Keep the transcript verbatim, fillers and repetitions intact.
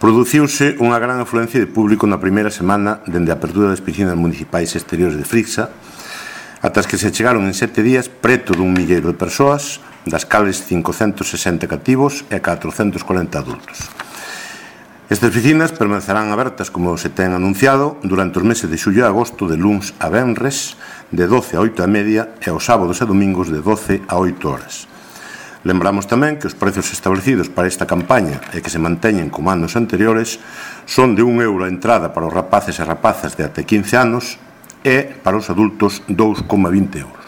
Produciuse unha gran afluencia de público na primeira semana dende a apertura das piscinas municipais exteriores de Frixa, ata as que se chegaron en sete días preto dun milleiro de persoas, das cales cincocentos sesenta cativos e catrocentos corenta adultos. Estas piscinas permanecerán abertas, como se ten anunciado, durante os meses de xullo e agosto, de luns a venres, de doce a oito e media, e os sábados e domingos de doce a oito horas. Lembramos tamén que os prezos establecidos para esta campaña e que se manteñen como anos anteriores son de un euro a entrada para os rapaces e rapazas de até quince anos e para os adultos dous coma vinte euros.